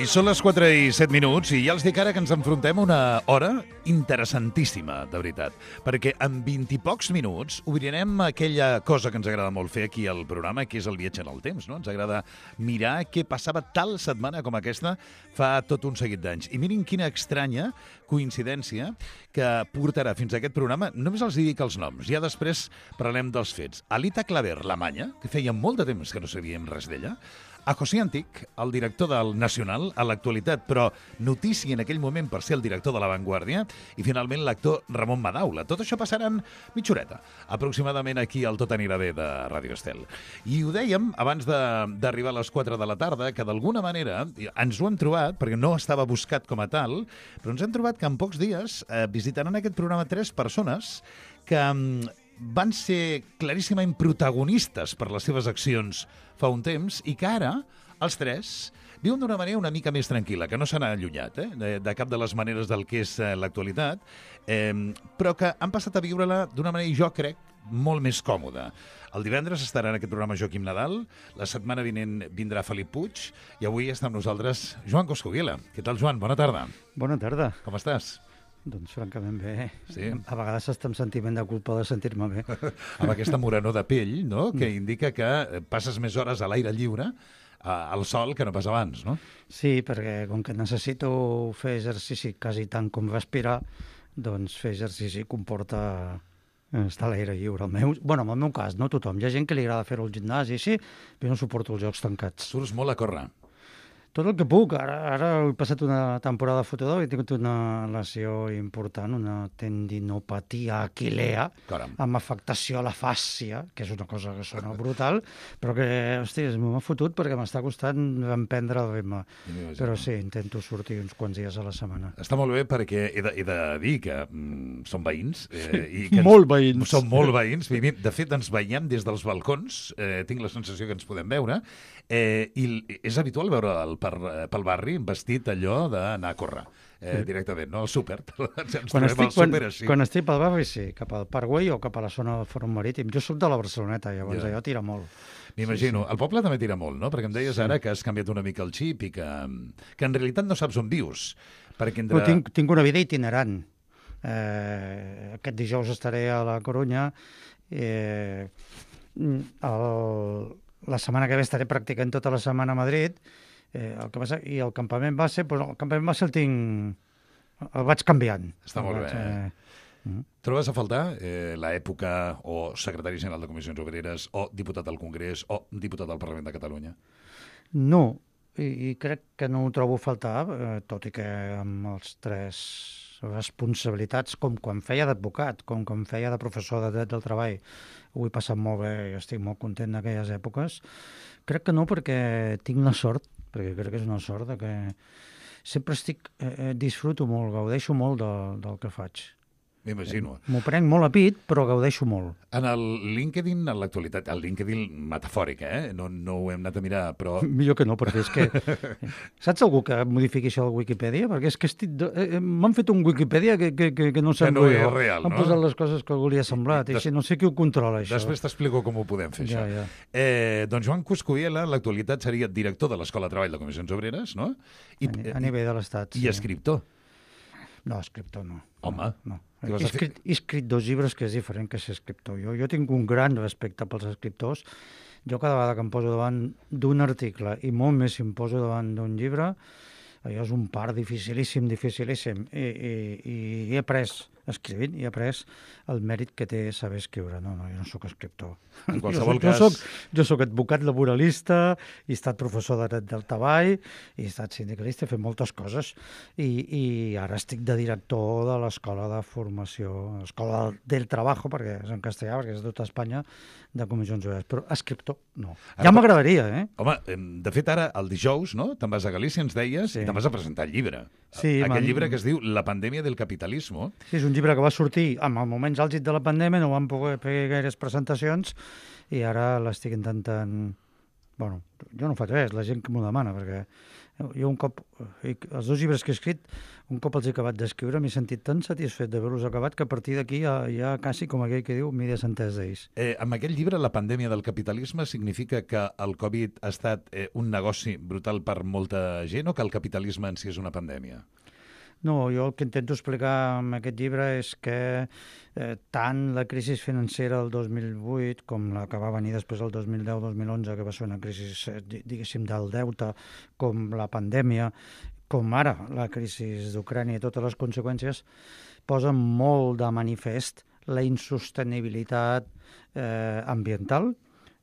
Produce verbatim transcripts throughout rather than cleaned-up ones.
I són les quatre i set minuts i ja els dic ara que ens enfrontem a una hora interessantíssima, de veritat. Perquè en vint i pocs minuts obrirem aquella cosa que ens agrada molt fer aquí al programa, que és el viatge en el temps, no? Ens agrada mirar què passava tal setmana com aquesta fa tot un seguit d'anys. I mirin quina estranya coincidència que portarà fins a aquest programa. Només els dic els noms, ja després parlarem dels fets. Alita Claver, l'Amanya, que feia molt de temps que no sabíem res d'ella, a José Antic, el director del Nacional, a l'actualitat, però notícia en aquell moment per ser el director de La Vanguardia, i finalment l'actor Ramon Madaula. Tot això passarà en mitja horeta, aproximadament aquí al Tot anirà bé de Ràdio Estel. I ho dèiem abans d'arribar a les quatre de la tarda, que d'alguna manera ens ho hem trobat, perquè no estava buscat com a tal, però ens hem trobat que en pocs dies eh, visitaran aquest programa tres persones que van ser claríssimament protagonistes per les seves accions fa un temps i que ara, els tres, viuen d'una manera una mica més tranquil·la, que no s'han allunyat eh, de, de cap de les maneres del que és eh, l'actualitat, eh, però que han passat a viure-la d'una manera, jo crec, molt més còmoda. El divendres estarà en aquest programa Joaquim Nadal, la setmana vinent vindrà Felip Puig i avui està amb nosaltres Joan Coscubiela. Què tal, Joan? Bona tarda. Bona tarda. Com estàs? Doncs francament bé. Sí. A vegades està amb sentiment de culpa de sentir-me bé. Amb aquesta morenor de pell, no?, que indica que passes més hores a l'aire lliure, al sol, que no pas abans, no? Sí, perquè com que necessito fer exercici quasi tant com respirar, doncs fer exercici comporta estar a l'aire lliure. El meu, bueno, en el meu cas, no tothom. Hi ha gent que li agrada fer-ho al gimnàs i així, però no suporto els jocs tancats. Surts molt a córrer. Tot el que puc. Ara, ara he passat una temporada de fotodor i he tingut una lesió important, una tendinopatia aquilea, Caram. amb afectació a la fàscia, que és una cosa que sona brutal, però que, hòstia, m'ha fotut perquè m'està costant emprendre el ritme. Però sí, intento sortir uns quants dies a la setmana. Està molt bé perquè he de, he de dir que mm, som veïns. Eh, sí, i que ens, molt veïns. Som molt veïns. De fet, ens veiem des dels balcons. Eh, tinc la sensació que ens podem veure. Eh, I és habitual veure el per, pel barri vestit allò d'anar a córrer eh, sí. directament, no? Al súper. Ens quan estic, al súper així. Quan, quan estic pel barri, sí, cap al Parkway o cap a la zona del Fòrum Marítim. Jo soc de la Barceloneta, llavors ja. allò tira molt. M'imagino. Sí, sí. El poble també tira molt, no? Perquè em deies sí. ara que has canviat una mica el xip i que, que en realitat no saps on vius. Perquè entre... no, tinc, tinc una vida itinerant. Eh, aquest dijous estaré a la Corunya. Eh, el... La setmana que ve estaré practicant tota la setmana a Madrid, eh, el que passa, i el campament base, doncs el campament base el tinc... el vaig canviant. Està molt vaig, bé. Eh... Mm. Trobes a faltar eh, l'època o secretari general de Comissions Obreres o diputat al Congrés o diputat al Parlament de Catalunya? No, i, i crec que no ho trobo a faltar, eh, tot i que amb els tres responsabilitats, com quan feia d'advocat, com quan feia de professor de dret del treball, ho he passat molt bé i estic molt content d'aquelles èpoques. Crec que no, perquè tinc la sort, perquè crec que és una sort, de que sempre estic, eh, disfruto molt, gaudeixo molt del, del que faig. M'imagino. M'ho prenc molt a pit, però gaudeixo molt. En el LinkedIn, en l'actualitat, el LinkedIn metafòric, eh? No, no ho hem anat a mirar, però... Millor que no, perquè és que... Saps algú que modifiqui això al Wikipedia? Perquè és que estic... eh, m'han fet un Wikipedia que, que, que, que no sembla no jo. és real, Han no? posat les coses que algú li ha semblat. I, i des... no sé qui ho controla, això. Després t'explico com ho podem fer, ja, això. Ja. Eh, doncs Joan Coscubiela, en l'actualitat, seria director de l'Escola de Treball de Comissions Obreres, no? I, a, a nivell de l'Estat, sí. I escriptor. No, escriptor no. Home. No. He escrit, he escrit dos llibres, que és diferent que ser escriptor. Jo, jo tinc un gran respecte pels escriptors. Jo cada vegada que em poso davant d'un article, i molt més si em poso davant d'un llibre, allò és un part dificilíssim, dificilíssim. I, i, i he après, escrivint, he après el mèrit que té saber escriure. No, no, jo no sóc escriptor. En qualsevol jo, cas... Jo soc, jo soc advocat laboralista, he estat professor de dret del treball, he estat sindicalista, he fet moltes coses, i, i ara estic de director de l'Escola de Formació, l'Escola del Trabajo, perquè és en castellà, perquè és de tota Espanya, de Comissions Obreres. Però escriptor, no. Ara, ja m'agradaria, eh? Home, de fet, ara, el dijous, no?, te'n vas a Galícia, ens deies, sí. i te'n vas a presentar el llibre. Sí, Aquest man... llibre que es diu La pandèmia del capitalismo. Sí, és un llibre que va sortir en els moments àlgids de la pandèmia, no van poder fer gaires presentacions, i ara l'estic intentant... Bueno, jo no faig res, la gent que m'ho demana, perquè Jo un cop, els dos llibres que he escrit, un cop els he acabat d'escriure, m'he sentit tan satisfet d'haver-los acabat que a partir d'aquí ja, ja quasi, com aquell que diu, m'he desentès d'ells. Eh, amb aquest llibre, La pandèmia del capitalisme, significa que el Covid ha estat eh, un negoci brutal per molta gent o que el capitalisme en si és una pandèmia? No, jo el que intento explicar amb aquest llibre és que eh, tant la crisi financera del dos mil vuit com la que va venir després del dos mil deu dos mil onze, que va ser una crisi, diguéssim, del deute, com la pandèmia, com ara la crisi d'Ucrània i totes les conseqüències, posen molt de manifest la insostenibilitat eh, ambiental,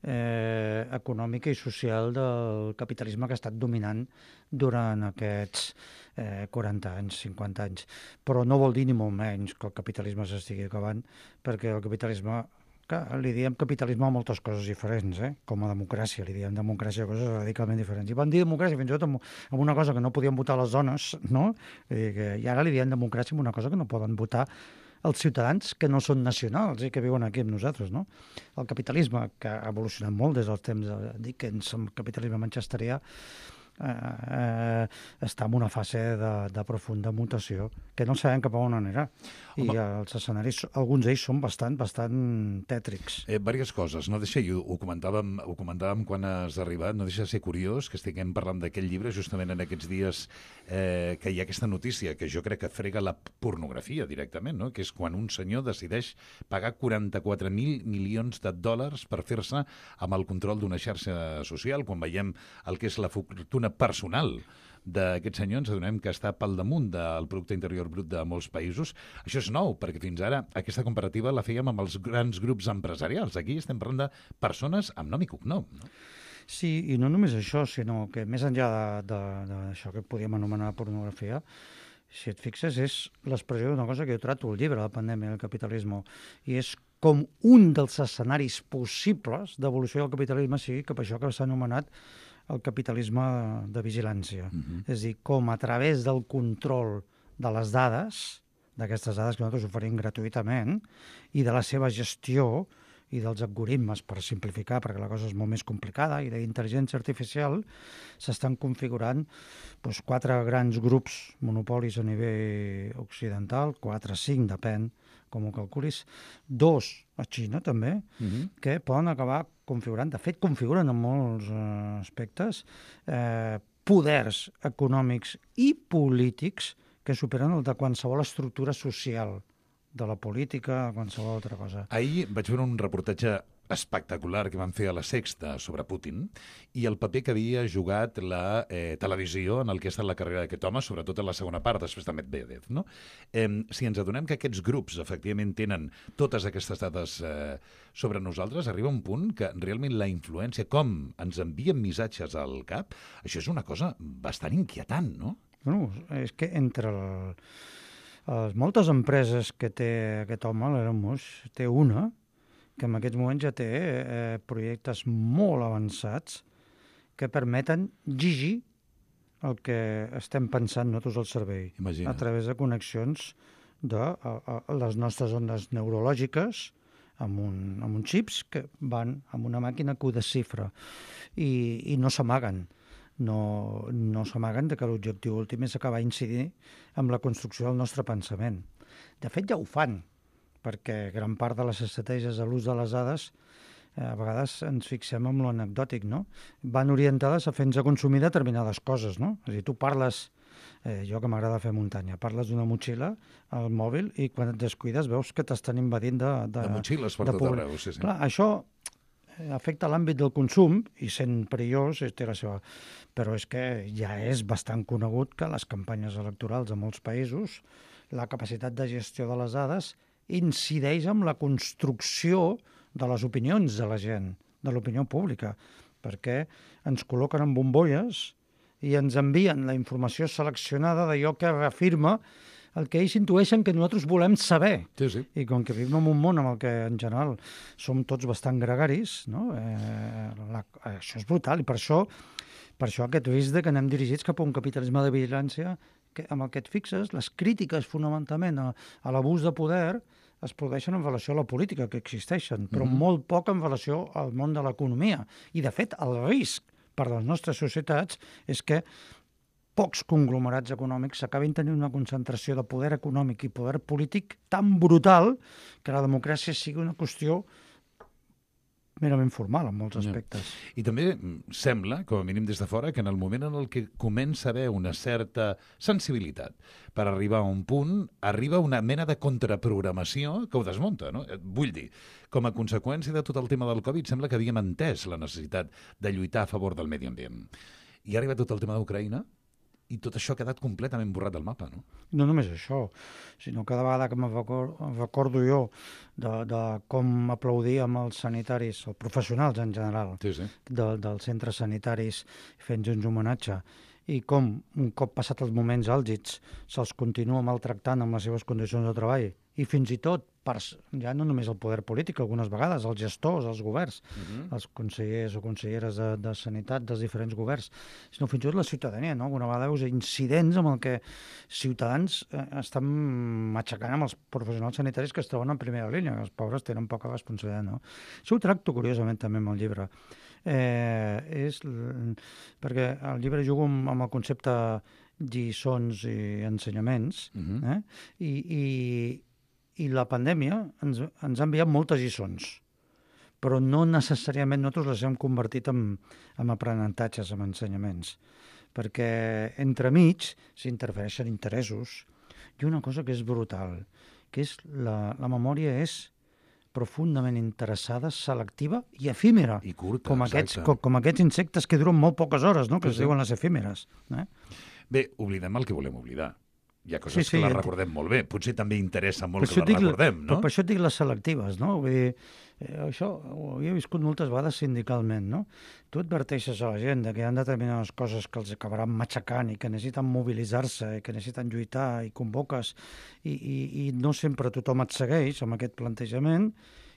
eh, econòmica i social del capitalisme que ha estat dominant durant aquests eh, quaranta anys, cinquanta anys. Però no vol dir ni molt menys que el capitalisme s'estigui acabant, perquè el capitalisme, que li diem capitalisme a moltes coses diferents, eh? Com a democràcia, li diem democràcia a coses radicalment diferents. I van dir democràcia fins i tot amb, amb una cosa que no podien votar les dones, no? I, que, i ara li diem democràcia amb una cosa que no poden votar els ciutadans que no són nacionals i que viuen aquí amb nosaltres, no? El capitalisme, que ha evolucionat molt des dels temps de Dickens, el capitalisme manchesterià, eh, eh, està en una fase de, de profunda mutació que no sabem cap a on anirà. I Home. els escenaris, alguns d'ells són bastant, bastant tètrics. Eh, diverses coses. No deixa, ho, ho, comentàvem, ho comentàvem quan has arribat, no deixa de ser curiós que estiguem parlant d'aquest llibre justament en aquests dies eh, que hi ha aquesta notícia que jo crec que frega la pornografia directament, no? Que és quan un senyor decideix pagar quaranta-quatre mil milions de dòlars per fer-se amb el control d'una xarxa social, quan veiem el que és la fortuna personal d'aquest senyor, ens adonem que està pel damunt del producte interior brut de molts països. Això és nou, perquè fins ara aquesta comparativa la fèiem amb els grans grups empresarials. Aquí estem parlant de persones amb nom i cognom, no? Sí, i no només això, sinó que més enllà d'això que podíem anomenar pornografia, si et fixes, és l'expressió d'una cosa que jo trato al llibre, La pandèmia del capitalisme, i és com un dels escenaris possibles d'evolució del capitalisme sigui cap a això que s'ha anomenat el capitalisme de vigilància. Uh-huh. És a dir, com a través del control de les dades, d'aquestes dades que nosaltres oferim gratuïtament, i de la seva gestió i dels algoritmes, per simplificar, perquè la cosa és molt més complicada, i d'intel·ligència artificial, s'estan configurant doncs, quatre grans grups monopolis a nivell occidental, quatre, cinc, depèn com ho calculis, dos a Xina també, uh-huh. que poden acabar configurant, de fet configuren en molts eh, aspectes, eh, poders econòmics i polítics que superen el de qualsevol estructura social, de la política, qualsevol altra cosa. Ahir vaig veure un reportatge espectacular que van fer a La Sexta sobre Putin i el paper que havia jugat la eh, televisió en el que ha estat la carrera d'aquest home, sobretot en la segona part, després de Medvedev, no? Eh, si ens adonem que aquests grups efectivament tenen totes aquestes dades eh, sobre nosaltres, arriba un punt que realment la influència, com ens envien missatges al cap, això és una cosa bastant inquietant, no? Bueno, és que entre el, les moltes empreses que té aquest home, l'Elon Musk, té una que en aquests moments ja té eh, projectes molt avançats que permeten llegir el que estem pensant nosaltres al cervell. Imagina't. A través de connexions de a, a les nostres ondes neurològiques amb, un, amb uns xips que van amb una màquina que ho desxifra i, i no s'amaguen. No, no s'amaguen de que l'objectiu últim és acabar incidir amb la construcció del nostre pensament. De fet, ja ho fan, perquè gran part de les estratègies de l'ús de les dades eh, a vegades ens fixem en l'anecdòtic, no? Van orientades a fer-nos a consumir determinades coses, no? És a dir, tu parles, eh, jo que m'agrada fer muntanya, parles d'una motxilla al mòbil i quan et descuides veus que t'estan invadint de... De, de motxilles per tot arreu, sí, sí. Clar, això afecta l'àmbit del consum i sent perillós té la seva... Però és que ja és bastant conegut que les campanyes electorals de molts països, la capacitat de gestió de les dades incideix en la construcció de les opinions de la gent, de l'opinió pública, perquè ens col·loquen en bombolles i ens envien la informació seleccionada d'allò que reafirma el que ells intueixen que nosaltres volem saber. Sí, sí. I com que vivim en un món en el que, en general, som tots bastant gregaris, no? eh, la, això és brutal, i per això, per això aquest risc de que anem dirigits cap a un capitalisme de vigilància que, amb el que et fixes, les crítiques fonamentalment a, a l'abús de poder es produeixen en relació a la política que existeixen, però mm-hmm. molt poc en relació al món de l'economia. I, de fet, el risc per a les nostres societats és que pocs conglomerats econòmics s'acabin tenint una concentració de poder econòmic i poder polític tan brutal que la democràcia sigui una qüestió merament formal en molts aspectes. Ja. I també sembla, com a mínim des de fora, que en el moment en el que comença a haver una certa sensibilitat per arribar a un punt, arriba una mena de contraprogramació que ho desmunta, no? Vull dir, com a conseqüència de tot el tema del Covid, sembla que havíem entès la necessitat de lluitar a favor del medi ambient. I ha arribat tot el tema d'Ucraïna, i tot això ha quedat completament borrat del mapa, no? No només això, sinó cada vegada que me'n recordo jo de, de com aplaudíem els sanitaris, els professionals en general, sí, sí. De, dels centres sanitaris fent-nos un homenatge, i com, un cop passat els moments àlgids, se'ls continua maltractant amb les seves condicions de treball, i fins i tot, per, ja no només el poder polític, algunes vegades, els gestors, els governs, uh-huh. els consellers o conselleres de, de sanitat dels diferents governs, sinó fins i tot la ciutadania, no? Alguna vegada veus incidents amb el que ciutadans eh, estan matxacant amb els professionals sanitaris que es troben en primera línia, que els pobres tenen poca responsabilitat, no? Això ho tracto curiosament també amb el llibre. Eh, és, perquè el llibre jugo amb, amb el concepte lliçons i ensenyaments, uh-huh. eh? I, i I la pandèmia ens, ens ha enviat moltes lliçons, però no necessàriament nosaltres les hem convertit en, en aprenentatges, en ensenyaments, perquè entremig s'interfereixen interessos i una cosa que és brutal, que és la, la memòria és profundament interessada, selectiva i efímera, I curta, com, aquests, exacte. com, com aquests insectes que duren molt poques hores, no? que Sí, es sí. diuen les efímeres. Eh? Bé, oblidem el que volem oblidar. Hi ha coses Sí, sí, que les ent- recordem molt bé. Potser també interessa molt Per que això les dic- recordem, no? Per, per això et dic les selectives, no? Vull dir, eh, això ho havia viscut moltes vegades sindicalment, no? Tu adverteixes a la gent de que hi ha determinades coses que els acabaran matxacant i que necessiten mobilitzar-se i que necessiten lluitar i convoques i, i, i no sempre tothom et segueix amb aquest plantejament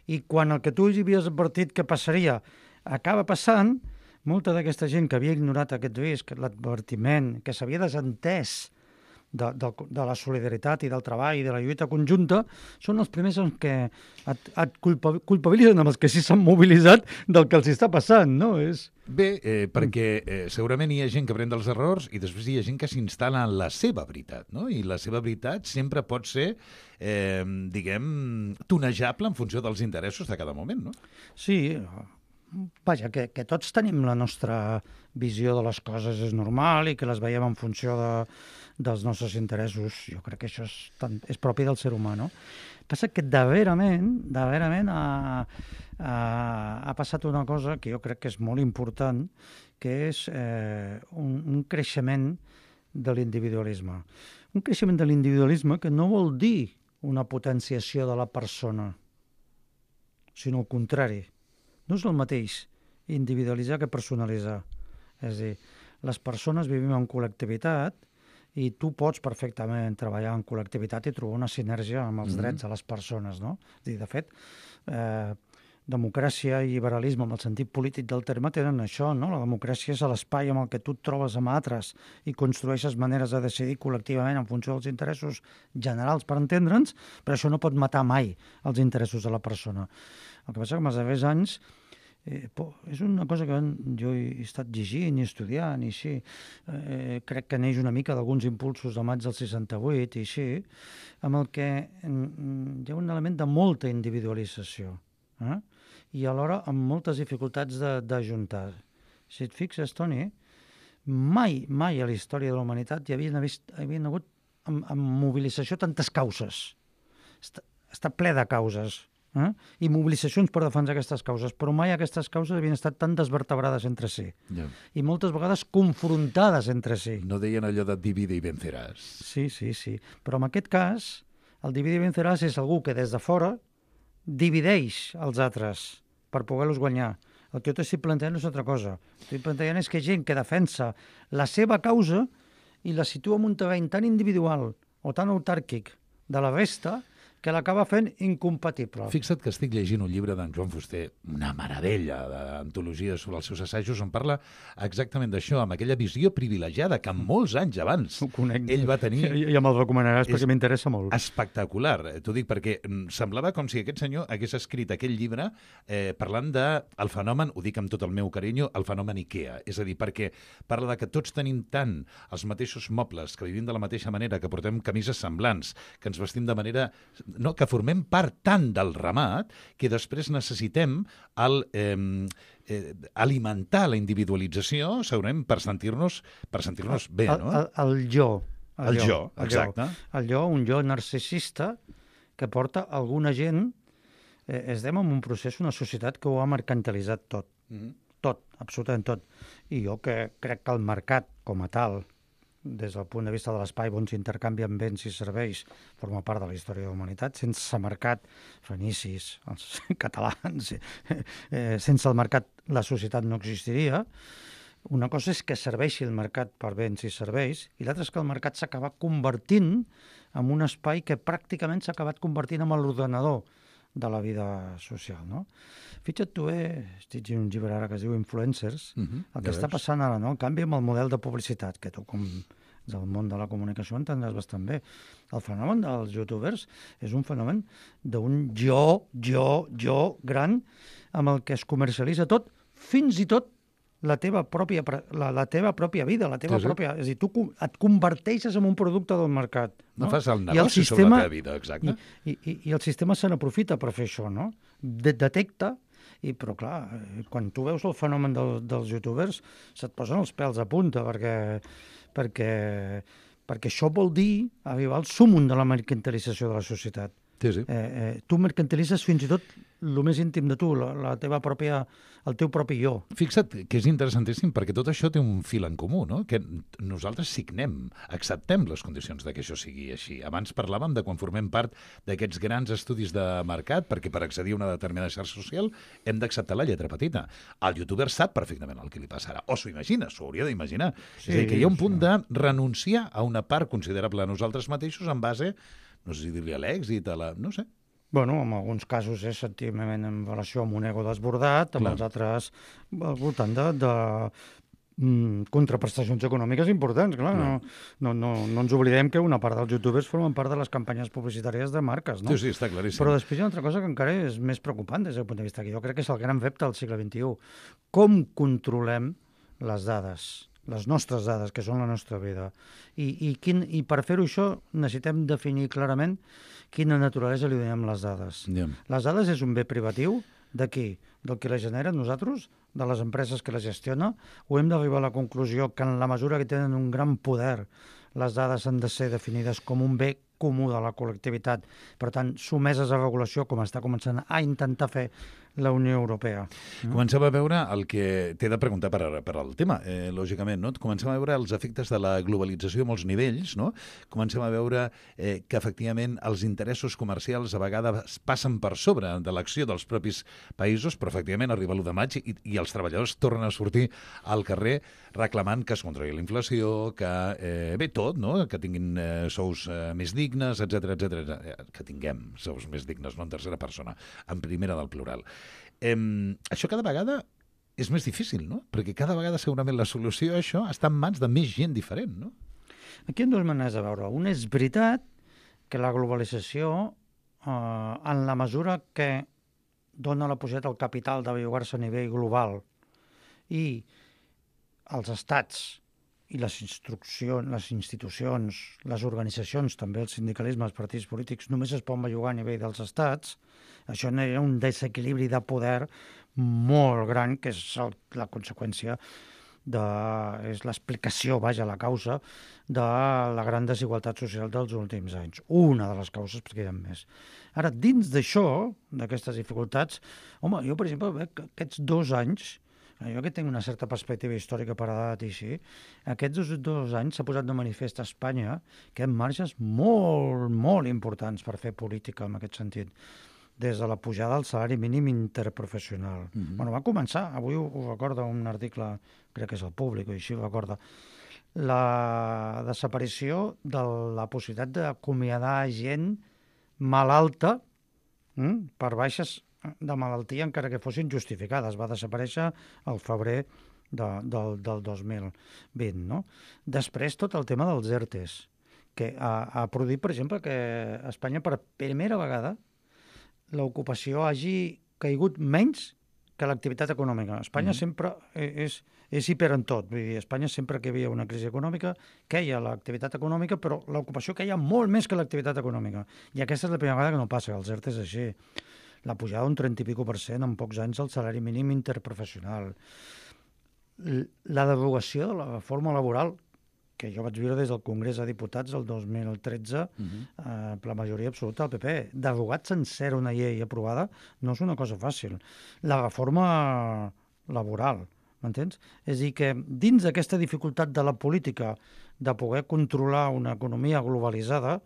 i quan el que tu havies advertit que passaria acaba passant, molta d'aquesta gent que havia ignorat aquest risc, l'advertiment, que s'havia desentès De, de, de la solidaritat i del treball i de la lluita conjunta, són els primers en què et, et culpa, culpabilitzen amb els que sí s'han mobilitzat del que els està passant, no? És... Bé, eh, perquè eh, segurament hi ha gent que pren dels errors i després hi ha gent que s'instal·la en la seva veritat, no? I la seva veritat sempre pot ser, eh, diguem, tonejable en funció dels interessos de cada moment, no? Sí, vaja, que, que tots tenim la nostra visió de les coses és normal i que les veiem en funció de, dels nostres interessos. Jo crec que això és, tan, és propi del ser humà, no? Passa que darrerament, darrerament ha, ha, ha passat una cosa que jo crec que és molt important, que és eh, un, un creixement de l'individualisme. Un creixement de l'individualisme que no vol dir una potenciació de la persona, sinó al contrari. No és el mateix individualitzar que personalitzar. És a dir, les persones vivim en col·lectivitat i tu pots perfectament treballar en col·lectivitat i trobar una sinergia amb els mm-hmm. drets de les persones, no? És a dir, de fet, eh, democràcia i liberalisme, amb el sentit polític del terme, tenen això, no? La democràcia és l'espai amb el que tu et trobes amb altres i construeixes maneres de decidir col·lectivament en funció dels interessos generals per entendre'ns, però això no pot matar mai els interessos de la persona. El que passa que en els darrers anys eh, po, és una cosa que jo he estat llegint i estudiant i així. Eh, crec que neix una mica d'alguns impulsos de maig del seixanta-vuit i així, amb el que mm, hi ha un element de molta individualització. Eh? I alhora amb moltes dificultats d'ajuntar. Si et fixes, Toni, mai, mai a la història de la humanitat hi havien, vist, havien hagut amb, amb mobilització tantes causes. Està, està ple de causes. Eh? I mobilitzacions per defensar aquestes causes, però mai aquestes causes havien estat tan desvertebrades entre si. Ja. I moltes vegades confrontades entre si. No deien allò de divide i venceràs. Sí, sí, sí. Però en aquest cas, el divide i venceràs és algú que des de fora divideix els altres per poder-los guanyar. El que jo t'estic plantejant no és altra cosa. Estic plantejant és que hi ha gent que defensa la seva causa i la situa en un terreny tan individual o tan autàrquic de la resta que l'acaba fent incompatible. Fixa't que estic llegint un llibre d'en Joan Fuster, una meravella d'antologia sobre els seus assajos, on parla exactament d'això, amb aquella visió privilegiada que molts anys abans ell va tenir. Ja me'l recomanaràs perquè m'interessa molt. Espectacular. T'ho dic perquè semblava com si aquest senyor hagués escrit aquell llibre eh, parlant del fenomen, ho dic amb tot el meu carinyo, el fenomen IKEA. És a dir, perquè parla de que tots tenim tant els mateixos mobles, que vivim de la mateixa manera, que portem camises semblants, que ens vestim de manera... No, que formem part tant del ramat que després necessitem el, eh, eh, alimentar la individualització, segurament, per sentir-nos per sentir-nos bé, no? El, el, el jo. El, el jo, jo, exacte. El jo, un jo narcisista que porta alguna gent... Eh, estem en un procés, una societat que ho ha mercantilitzat tot. Mm-hmm. Tot, absolutament tot. I jo que crec que el mercat, com a tal, des del punt de vista de l'espai on s'intercanvien béns i serveis, forma part de la història de la humanitat. Sense mercat, fenicis, els catalans, eh, sense el mercat la societat no existiria. Una cosa és que serveixi el mercat per béns i serveis, i l'altra és que el mercat s'ha acabat convertint en un espai que pràcticament s'ha acabat convertint en l'ordenador de la vida social, no? Fixa't tu, eh, estic llegint un llibre ara que es diu Influencers, uh-huh, el que ja està veus. Passant ara, no? El canvi amb el model de publicitat, que tu, com del món de la comunicació, entendràs bastant bé. El fenomen dels youtubers és un fenomen d'un jo, jo, jo gran, amb el que es comercialitza tot, fins i tot la teva pròpia, la, la teva pròpia vida, la teva sí, sí. pròpia... És a dir, tu et converteixes en un producte del mercat. No, no fas el negoci el sistema, sobre la teva vida, exacte. I, i, i el sistema se n'aprofita per fer això, no? De, detecta, i, però clar, quan tu veus el fenomen del, dels youtubers, se't posen els pèls a punta, perquè, perquè, perquè això vol dir arribar al súmum de la mercantilització de la societat. Sí, sí. Eh, eh, tu mercantilitzes fins i tot el més íntim de tu, la, la teva pròpia, el teu propi jo. Fixa't que és interessantíssim perquè tot això té un fil en comú, no? Que nosaltres signem, acceptem les condicions de que això sigui així. Abans parlàvem de quan formem part d'aquests grans estudis de mercat, perquè per accedir a una determinada xarxa social hem d'acceptar la lletra petita. El youtuber sap perfectament el que li passarà, o s'ho imagina, s'ho hauria d'imaginar. Sí, és a dir, que hi ha un punt de renunciar a una part considerable de nosaltres mateixos en base, no sé si dir-li a l'èxit, a la... no sé. Bueno, en alguns casos és sentiment en relació amb un ego desbordat, amb Clar. Els altres al voltant de, de mm, contraprestacions econòmiques importants. Clar. No, no, no, no ens oblidem que una part dels youtubers formen part de les campanyes publicitàries de marques, no? Sí, sí, està claríssim. Però després hi ha una altra cosa que encara és més preocupant des del punt de vista que jo crec que és el gran repte del segle vint-i-u. Com controlem les dades? Les nostres dades, que són la nostra vida. I, i, quin, i per fer-ho això necessitem definir clarament quina naturalesa li donem les dades. Yeah. Les dades és un bé privatiu de qui? Del que les genera nosaltres, de les empreses que les gestiona, o hem d'arribar a la conclusió que en la mesura que tenen un gran poder, les dades han de ser definides com un bé comú de la col·lectivitat, per tant, someses a regulació, com està començant a intentar fer la Unió Europea. Comencem a veure el que t'he de preguntar per, per al tema, eh, lògicament, no? Comencem a veure els efectes de la globalització a molts nivells, no? Comencem a veure eh, que, efectivament, els interessos comercials a vegades passen per sobre de l'acció dels propis països, però, efectivament, arriba l'u de maig i, i els treballadors tornen a sortir al carrer reclamant que es controli la inflació, que, eh, bé, tot, no? Que tinguin eh, sous eh, més dignes, etcètera, etcètera, que tinguem sous més dignes, no en tercera persona, en primera del plural. Eh, això cada vegada és més difícil, no? Perquè cada vegada segurament la solució a això està en mans de més gent diferent, no? Aquí hi ha dues maneres de veure. Una és veritat que la globalització, eh, en la mesura que dona la possibilitat al capital de bellugar-se a nivell global i els estats i les instruccions, les institucions, les organitzacions, també el sindicalisme, els partits polítics, només es poden bellugar a nivell dels estats, això hi ha un desequilibri de poder molt gran, que és el, la conseqüència de, és l'explicació, vaja, la causa de la gran desigualtat social dels últims anys. Una de les causes, perquè hi ha més. Ara, dins d'això, d'aquestes dificultats, home, jo, per exemple, veig que aquests dos anys, jo que tinc una certa perspectiva històrica per edat i així, aquests dos, dos anys s'ha posat de manifest a Espanya que hi ha marges molt, molt importants per fer política en aquest sentit, des de la pujada del salari mínim interprofessional. Mm-hmm. Bueno, va començar, avui ho, ho recorda un article, crec que és el Públic, o així ho recorda, la desaparició de la possibilitat d'acomiadar gent malalta mm, per baixes de malaltia, encara que fossin justificades. Va desaparèixer al febrer de, del, del dos mil vint. No? Després, tot el tema dels ERTEs, que ha, ha produït, per exemple, que a Espanya per primera vegada l'ocupació hagi caigut menys que l'activitat econòmica. Espanya mm. sempre és, és hiper en tot. Vull dir, Espanya sempre que hi havia una crisi econòmica queia l'activitat econòmica, però l'ocupació queia molt més que l'activitat econòmica. I aquesta és la primera vegada que no passa, els ERTEs és així. La pujada d'un trenta i pico per cent en pocs anys al salari mínim interprofessional. La derogació de la reforma laboral, que jo vaig viure des del Congrés de Diputats el dos mil tretze, uh-huh. eh, per la majoria absoluta del P P. Derogat sencera una llei aprovada no és una cosa fàcil. La reforma laboral, m'entens? És a dir, que dins d'aquesta dificultat de la política de poder controlar una economia globalitzada,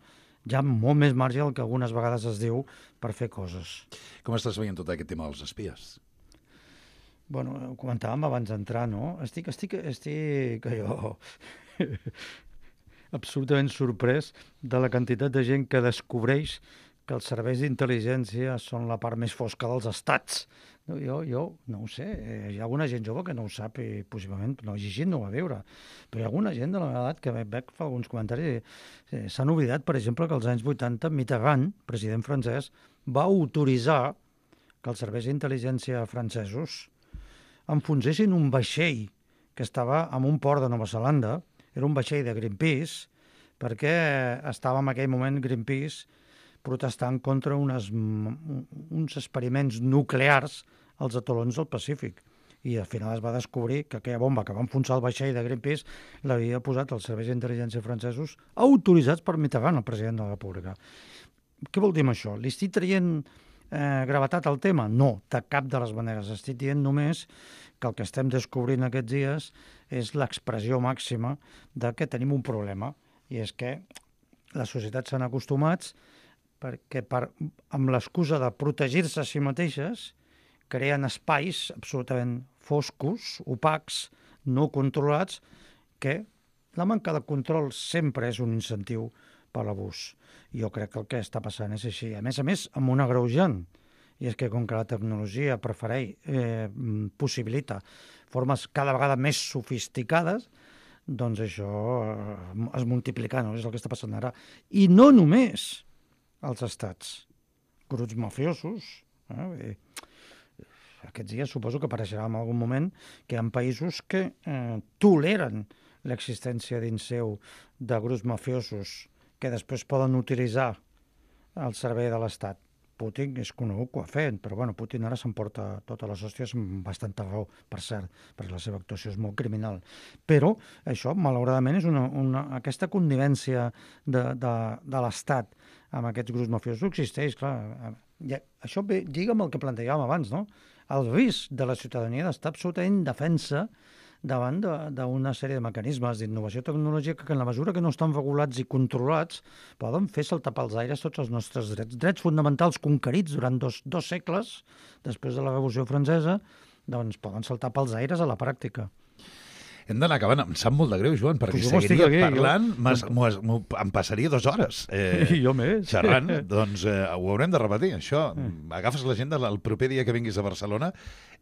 hi ha molt més marge del que algunes vegades es diu per fer coses. Com estàs veient tot aquest tema dels espies? Bueno, ho comentàvem abans d'entrar, no? Estic, estic, estic jo absolutament sorprès de la quantitat de gent que descobreix que els serveis d'intel·ligència són la part més fosca dels estats. Jo, jo no ho sé, hi ha alguna gent jove que no ho sap i possiblement no ha llegit, no ho va veure. Però hi ha alguna gent de la meva edat que veig fa alguns comentaris i s'han oblidat, per exemple, que als anys vuitanta Mitterrand, president francès, va autoritzar que els serveis d'intel·ligència francesos enfonsessin un vaixell que estava en un port de Nova Zelanda, era un vaixell de Greenpeace, perquè estava en aquell moment Greenpeace protestant contra unes, uns experiments nuclears als atolons del Pacífic. I al final es va descobrir que aquella bomba que va enfonsar el vaixell de Greenpeace l'havia posat els serveis d'intel·ligència francesos autoritzats per Mitterrand, el president de la República. Què vol dir amb això? Li estic traient eh, gravetat al tema? No, de cap de les maneres. Estic dient només que el que estem descobrint aquests dies és l'expressió màxima de que tenim un problema, i és que les societats s'han acostumat perquè per, amb l'excusa de protegir-se a si mateixes creen espais absolutament foscos, opacs, no controlats, que la manca de control sempre és un incentiu per l'abús. Jo crec que el que està passant és així. A més a més, amb un agreujant, i és que com que la tecnologia prefereix, eh, possibilita formes cada vegada més sofisticades, doncs això eh, es multiplica, no? És el que està passant ara. I no només als estats, grups mafiosos. Eh? Aquests dies suposo que apareixerà en algun moment que hi ha països que eh, toleren l'existència dins seu de grups mafiosos que després poden utilitzar al servei de l'Estat. Putin és conegut que ho ha fet, però bueno, Putin ara s'emporta totes les hòsties amb bastanta raó, per cert, perquè la seva actuació és molt criminal. Però això, malauradament, és una, una, aquesta connivència de, de, de l'Estat amb aquests grups mafiosos existeix, clar. Ja, això ve, lliga amb el que plantejàvem abans, no? El risc de la ciutadania d'estar absolutament indefensa davant d'una sèrie de mecanismes d'innovació tecnològica que en la mesura que no estan regulats i controlats poden fer saltar pels aires tots els nostres drets. Drets fonamentals conquerits durant dos, dos segles després de la Revolució Francesa, doncs poden saltar pels aires a la pràctica. Hem d'anar acabant. Em sap molt de greu, Joan, perquè pues seguiria aquí, parlant, jo... em passaria dues hores eh, jo més. xerrant. Doncs eh, ho haurem de repetir, això. Agafes l'agenda el proper dia que vinguis a Barcelona